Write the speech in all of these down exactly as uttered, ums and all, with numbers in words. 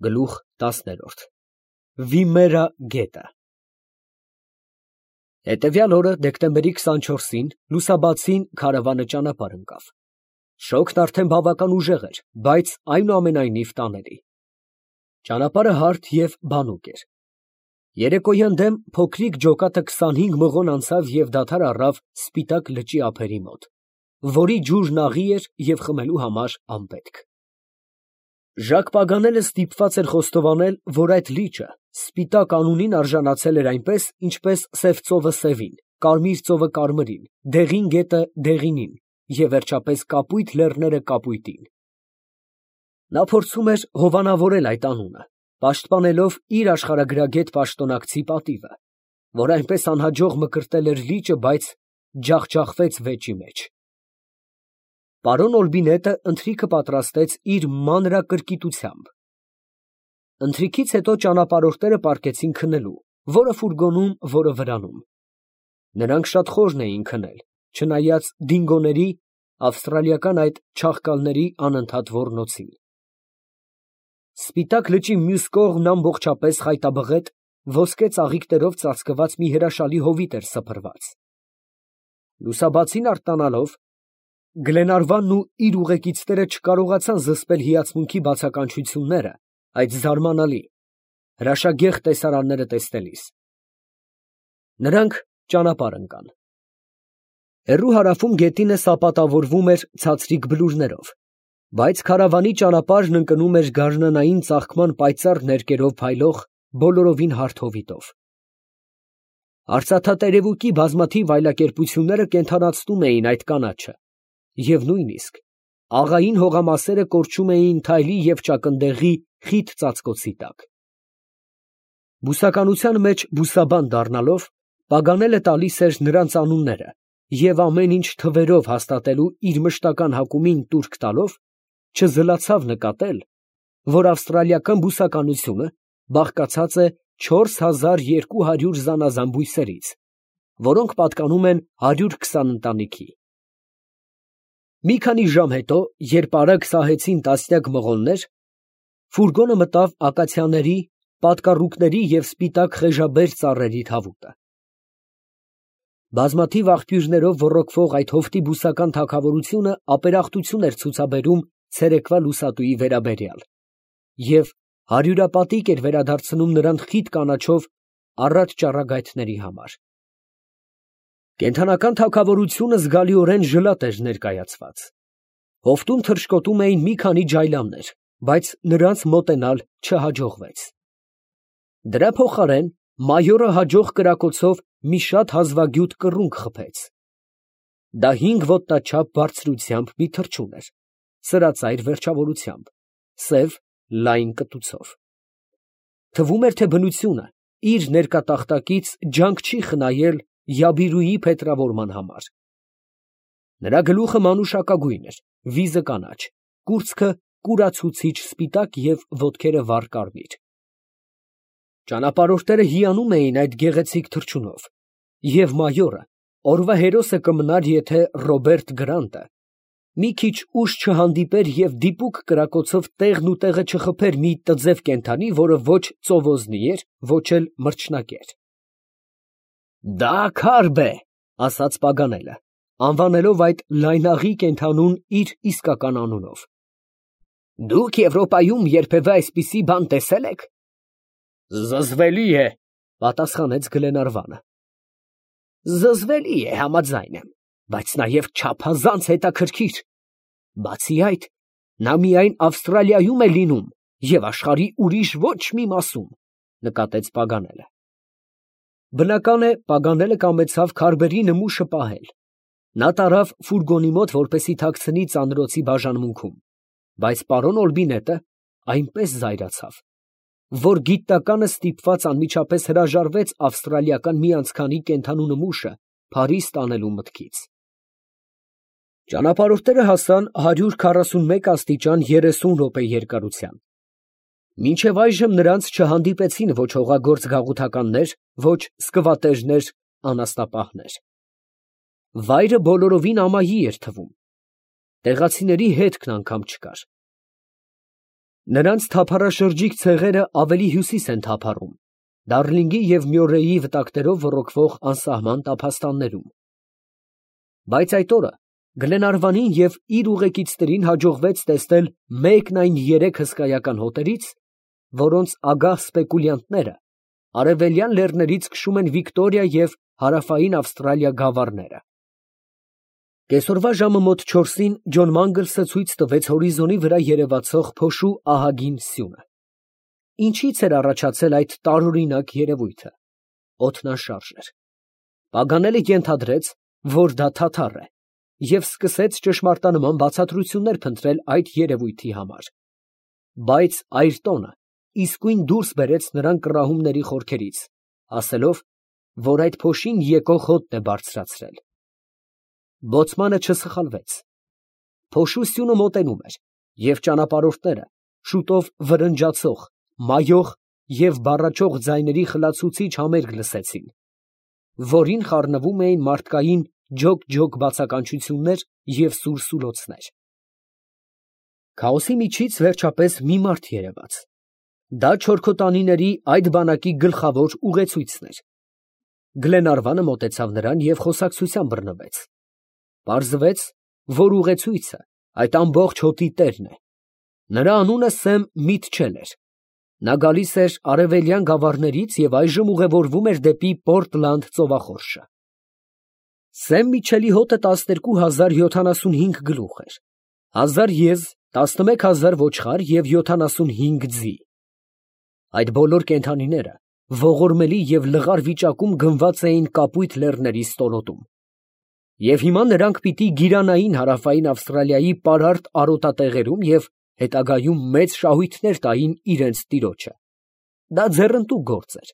Գլուխ տասներորդ Վիմերա գետը Հետևյալ օրը դեկտեմբերի քսանչորսին լուսաբացին քարավանը ճանապարհ ընկավ։ Շոգն արդեն բավական ուժեղ էր, բայց այնուամենայնիվ տանելի։ Ճանապարհը հարթ և բանուկ էր։ Երեկոյան դեմ փոքրիկ ջոկատը քսանհինգ մղոն անցավ և դադար առավ Սպիտակ լճի ափերի մոտ, որի ջուրն աղի էր և խմելու համար անպետք։ Ժակ Պագանելը ստիպված էր խոստովանել, որ այդ լիճը Սպիտակ անունին արժանացել էր այնպես, ինչպես սև ծովը սևին, կարմիր ծովը կարմրին, դեղին գետը դեղինին և վերջապես կապույտ լեռները կապույտին։ Նա փորձում էր հովանավորել այդ անունը, պաշտպանելով իր աշխարհագրագետ պաշտոնակցի պատիվը, որ այնպես անհաջող մկրտել էր լիճը, բայց ջախջախվեց վեճի մեջ։ Պարոն Օլբինետը ընթրիքը պատրաստեց իր մանրակրկիտությամբ։ Ընթրիքից հետո ճանապարհորդները պառկեցին քնելու, որը ֆուրգոնում, որը վրանում։ Նրանք շատ խորն էին քնել, չնայած դինգոների, ավստրալիական այդ չաղկալների անընդհատ ոռնոցին։ Սպիտակ լճի մյուս կողմն ամբողջապես խայտաբղետ, ոսկե ծաղիկներով ծածկված մի հրաշալի հովիտ էր սփռված։ Լուսաբացին արթնանալով, Գլենարվանն ու իր ուղեկիցները չկարողացան զսպել հիացմունքի բացականչությունները այդ զարմանալի, հրաշագեղ տեսարանները տեսնելիս։ Նրանք ճանապարհ ընկան։ Հեռու հարավում գետինը սապատավորվում էր ցածրիկ բլուրներով, բայց քարավանի ճանապարհն ընկնում էր գարնանային ծաղկման պայծառ ներկերով փայլող բոլորովին հարթ հովիտով։ Արծաթատերևուկի բազմաթիվ այլակերպությունները կենդանացնում էին այդ կանաչը, և նույնիսկ աղային հողամասերը կորչում էին թայլի և ճակնդեղի խիտ ծածկոցի տակ։ Բուսականության մեջ բուսաբան դառնալով, Պագանելը տալիս էր նրանց անունները և ամեն ինչ թվերով հաստատելու իր մշտական հակումին տուրք տալով, չզլացավ նկատել, որ ավստրալիական բուսականությունը բաղկացած է չորս հազար երկու հարյուր զանազան բույսերից, որոնք պատկանում են հարյուր քսան ընտանիքի։ Մի քանի ժամ հետո, երբ արագ սահեցին տասնյակ մղոններ, ֆուրգոնը մտավ ակացիաների, պատկառուկների և սպիտակ խեժաբեր ծառերի թավուտը։ Բազմաթիվ աղբյուրներով ոռոգվող այդ հովտի բուսական թագավորությունը ապերախտություն էր ցուցաբերում ցերեկվա լուսատուի վերաբերյալ և հարյուրապատիկ էր վերադարձնում նրան խիտ կանաչով առատ ճառագայթների համար։ Կենդանական թագավորությունը զգալիորեն ժլատ էր ներկայացված։ Հովտում թռչկոտում էին մի քանի ջայլամներ, բայց նրանց մոտենալ չհաջողվեց։ Դրա փոխարեն մայորը հաջող կրակոցով մի շատ հազվագյուտ կռունկ խփեց։ Դա հինգ ոտնաչափ բարձրությամբ մի թռչուն էր, սրածայր վերջավորությամբ, սև լայն կտուցով։ Թվում էր, թե բնությունը իր ներկատախտակից ջանք չի խնայել Յաբիրուի փետրավորման համար։ Նրա գլուխը մանուշակագույն էր, վիզը կանաչ, կուրծքը կուրացուցիչ սպիտակ և ոտքերը վառ կարմիր։ Ճանապարհորդները հիանում էին այդ գեղեցիկ թռչունով, և մայորը օրվա հերոսը կմնար, եթե Ռոբերտ Գրանտը մի քիչ ուշ չհանդիպեր և դիպուկ կրակոցով տեղն ու տեղը չխփեր մի տձև կենդանի, որը ոչ ծովոզնի էր, ոչ էլ մրջնակեր։ «Դա Քարբ է», ֊ ասաց Պագանելը, անվանելով այդ լայնաղի կենդանուն իր իսկական անունով։ ֊ Դուք Եվրոպայում երբևէ այսպիսի բան տեսե՞լ եք։ ֊ Զզվելի է, ֊ պատասխանեց Գլենարվանը։ ֊ Զզվելի է, համաձայն եմ, բայց նաև չափազանց հետաքրքիր։ Բացի այդ, նա միայն Ավստրալիայում է լինում և աշխարհի ուրիշ ոչ մի մասում, ֊ նկատեց Պագանելը։ Բնական է, Պագանելը կամեցավ քարբերի նմուշը պահել։ Նա տարավ ֆուրգոնի մոտ, որպեսզի թաքցնի ծանրոցի բաժանմունքում, բայց պարոն Օլբինետը այնպես զայրացավ, որ գիտնականը ստիպված անմիջապես հրաժարվեց ավստրալիական մի անցքանի կենդանու նմուշը Փարիզ տանելու մտքից։ Ճանապարհորդները հասան հարյուր քառասունմեկ աստիճան երեսուն րոպե երկարության։ Մինչև այժմ նրանց չհանդիպեցին ոչ հողագործ գաղութականներ, ոչ սկվատերներ, անասնապահներ։ Վայրը բոլորովին ամայի էր թվում։ Տեղացիների հետքն անգամ չկար։ Նրանց թափառաշրջիկ ցեղերը ավելի հյուսիս են թափառում, Դարլինգի և Մյորեի վտակներով ոռոգվող անսահման տափաստաններում։ Բայց այդ օրը Գլենարվանին և իր ուղեկիցներին հաջողվեց տեսնել մեկն այն երեք հսկայական հոտերից, որոնց ագահ սպեկուլյանտները արևելյան լեռներից քշում են Վիկտորիա և հարավային Ավստրալիա գավառները։ Կեսօրվա ժամը մոտ չորսին Ջոն Մանգլսը ցույց տվեց հորիզոնի վրա երևացող փոշու ահագին սյունը։ Ինչից էր առաջացել այդ տարօրինակ երևույթը։ Օդն անշարժ էր։ Պագանելը ենթադրեց, որ դա թաթար է, և սկսեց ճշմարտանման բացատրություններ փնտրել այդ երևույթի համար։ Բայց այրտոնը իսկույն դուրս բերեց նրան կռահումների խորքերից, ասելով, որ այդ փոշին եկող հոտն է բարձրացրել։ Բոցմանը չսխալվեց։ Փոշու սյունը մոտենում էր, և ճանապարհորդները շուտով վրնջացող, մայող և բառաչող ձայների խլացուցիչ համերգ լսեցին, որին խառնվում էին մարդկային ջոկ֊ջոկ բացականչություններ և սուր֊սուլոցներ։ Քաոսի միջից վերջապես մի մարդ երևաց։ Դա չորքոտանիների այդ բանակի գլխավոր ուղեցույցն էր։ Գլենարվանը մոտեցավ նրան և խոսակցության բռնվեց։ Պարզվեց, որ ուղեցույցը այդ ամբողջ հոտի տերն է։ Նրա անունը Սեմ Միտչել էր։ Նա գալիս էր արևելյան գավառներից և այժմ ուղևորվում էր դեպի Պորտլանդ ծովախորշը։ Սեմ Միտչելի հոտը տասներկու հազար յոթանասունհինգ գլուխ էր, հազար եզ, տասնմեկ հազար ոչխար և յոթանասունհինգ ձի։ Այդ բոլոր կենդանիները ողորմելի և լղար վիճակում գնված էին Կապույտ Լեռների ստորոտում։ Եվ հիմա նրանք պիտի գիրանային հարավային Ավստրալիայի պարարտ արոտատեղերում և հետագայում մեծ շահույթներ տային իրենց տիրոջը։ Դա ձեռնտու գործ էր։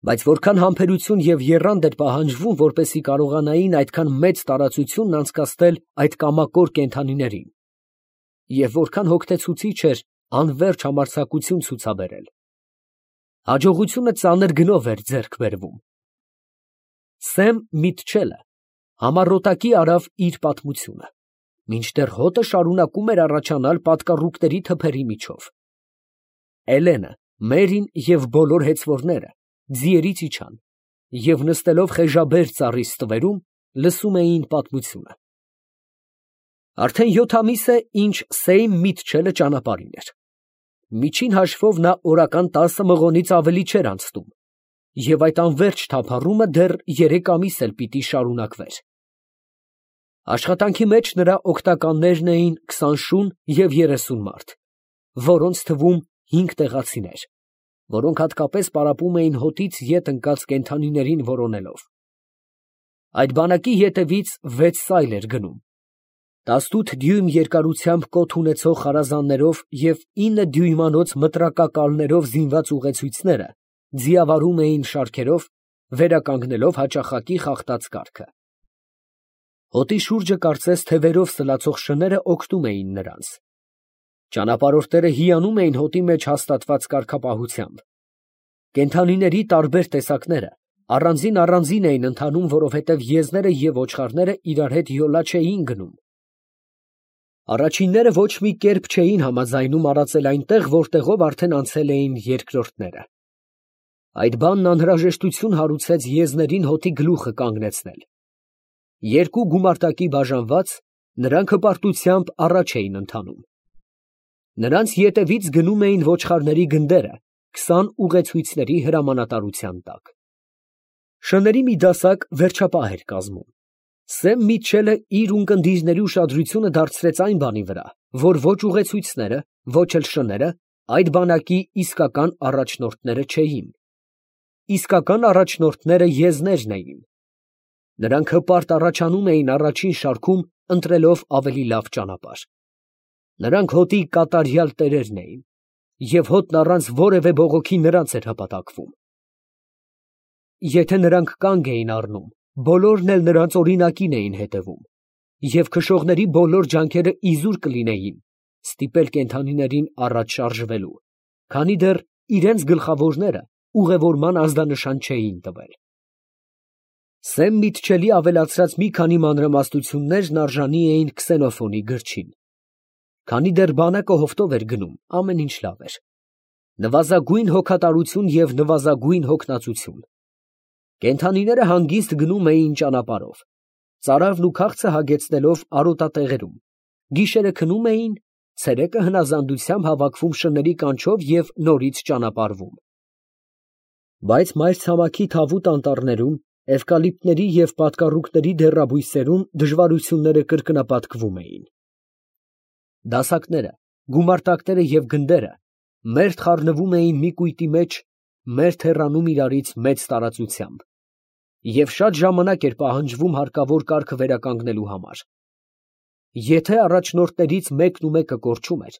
Բայց որքան համբերություն և եռանդ էր պահանջվում, որպեսզի կարողանային այդքան մեծ տարածությունն անցկացնել այդ կամակոր կենդանիներին, և որքան հոգնեցուցիչ էր անվերջ համարձակություն ցուցաբերել։ Հաջողությունը ծանր գնով էր ձեռք բերվում։ Սեմ Միտչելը համառոտակի արավ իր պատմությունը, մինչդեռ հոտը շարունակում էր առաջանալ պատկառուկների թփերի միջով։ Էլենը, Մերին և բոլոր հեծվորները ձիերից իջան և նստելով խեժաբեր ծառի ստվերում, լսում էին պատմությունը։ Արդեն յոթ ամիս է, ինչ Սեյմ Միտչելը ճանապարհին էր։ Միջին հաշվով նա օրական տասը մղոնից ավելի չէր անցնում, և այդ անվերջ թափառումը դեռ երեք ամիս էլ պիտի շարունակվեր։ Աշխատանքի մեջ նրա օգնականներն էին քսան շուն և երեսուն մարդ, որոնց թվում հինգ տեղացիներ, որոնք հատկապես պարապում էին հոտից ետ ընկած կենդանիներին որոնելով։ Այդ բանակի ետևից վեց սայլ էր գնում։ Տասնութ դյույմ երկարությամբ կոթ ունեցող խարազաններով և ինը դյույմանոց մտրակակալներով զինված ուղեցույցները ձիավարում էին շարքերով, վերականգնելով հաճախակի խախտած կառքը։ Հոտի շուրջը կարծես թևերով սլացող շները օգնում էին նրանց։ Ճանապարհորդները հիանում էին հոտի մեջ հաստատված կարգապահությամբ։ Կենդանիների տարբեր տեսակները առանձին֊առանձին էին ընթանում, որովհետև եզները և ոչխարները իրար հետ յոլա չէին գնում։ Առաջինները ոչ մի կերպ չէին համաձայնում արածել այնտեղ, որտեղով արդեն անցել էին երկրորդները։ Այդ բանն անհրաժեշտություն հարուցեց եզներին հոտի գլուխը կանգնեցնել։ Երկու գումարտակի բաժանված, նրանք հպարտությամբ առաջ էին ընթանում։ Նրանց ետևից գնում էին ոչխարների գնդերը քսան ուղեցույցների հրամանատարության տակ։ Շների մի դասակ վերջապահ էր կազմում։ Սեմ Միտչելը իր ունկնդիրների ուշադրությունը դարձրեց այն բանի վրա, որ ոչ ուղեցույցները, ոչ էլ շները այդ բանակի իսկական առաջնորդները չէին։ Իսկական առաջնորդները եզներն էին։ Նրանք հպարտ առաջանում էին առաջին շարքում, ընտրելով ավելի լավ ճանապարհ։ Նրանք հոտի կատարյալ տերերն էին, և հոտն առանց որևէ բողոքի նրանց էր հպատակվում։ Եթե նրանք կանգ էին առնում, բոլորն էլ նրանց օրինակին էին հետևում, և քշողների բոլոր ջանքերը իզուր կլինեին ստիպել կենդանիներին առաջ շարժվելու, քանի դեռ իրենց գլխավորները ուղևորման ազդանշան չէին տվել։ Սեմ Միտչելի ավելացրած մի քանի մանրամասնություններն արժանի էին Քսենոֆոնի գրչին։ Քանի դեռ բանակը հովտով էր գնում, ամեն ինչ լավ էր. նվազագույն հոգատարություն և նվազագույն հոգնածություն։ Կենդանիները հանգիստ գնում էին ճանապարհով, ծարավն ու քաղցը հագեցնելով արոտատեղերում, գիշերը քնում էին, ցերեկը հնազանդությամբ հավաքվում շների կանչով և նորից ճանապարհվում։ Բայց մայրցամաքի թավուտ անտառներում, էվկալիպտների և պատկառուկների դեռաբույսերում դժվարությունները կրկնապատկվում էին։ Դասակները, գումարտակները և գնդերը մերթ խառնվում էին մի կույտի մեջ, մերթ հեռանում իրարից մեծ տարածությամբ, և շատ ժամանակ էր պահանջվում հարկավոր կարգը վերականգնելու համար։ Եթե առաջնորդներից մեկն ու մեկը կորչում էր,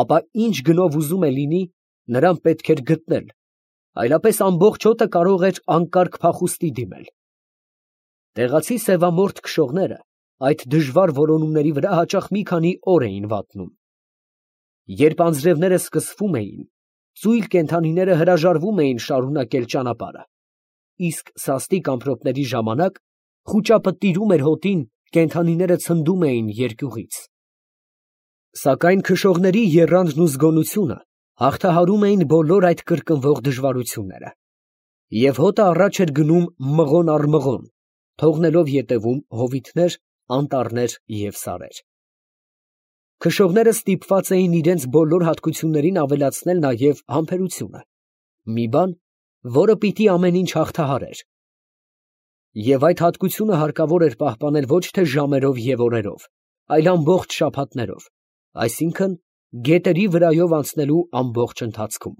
ապա ինչ գնով ուզում է լինի, նրան պետք էր գտնել, այլապես ամբողջ հոտը կարող էր անկարգ փախուստի դիմել։ Տեղացի սևամորթ քշողները այդ դժվար որոնումների վրա հաճախ մի քանի օր էին վատնում։ Երբ անձրևները սկսվում էին, ծույլ կենդանիները հրաժարվում էին շարունակել ճանապարհը, իսկ սաստիկ ամպրոպների ժամանակ խուճապը տիրում էր հոտին, կենդանիները ցնդում էին երկյուղից։ Սակայն քշողների եռանդն ու զգոնությունը հաղթահարում էին բոլոր այդ կրկնվող դժվարությունները, և հոտը առաջ էր գնում մղոն առ մղոն, թողնելով ետևում հովիտներ, անտառներ և սարեր։ Քշողները ստիպված էին իրենց բոլոր հատկություններին ավելացնել նաև համբերությունը, մի բան, որը պիտի ամեն ինչ հաղթահարեր, և այդ հատկությունը հարկավոր էր պահպանել ոչ թե ժամերով և օրերով, այլ ամբողջ շաբաթներով, այսինքն՝ գետերի վրայով անցնելու ամբողջ ընթացքում։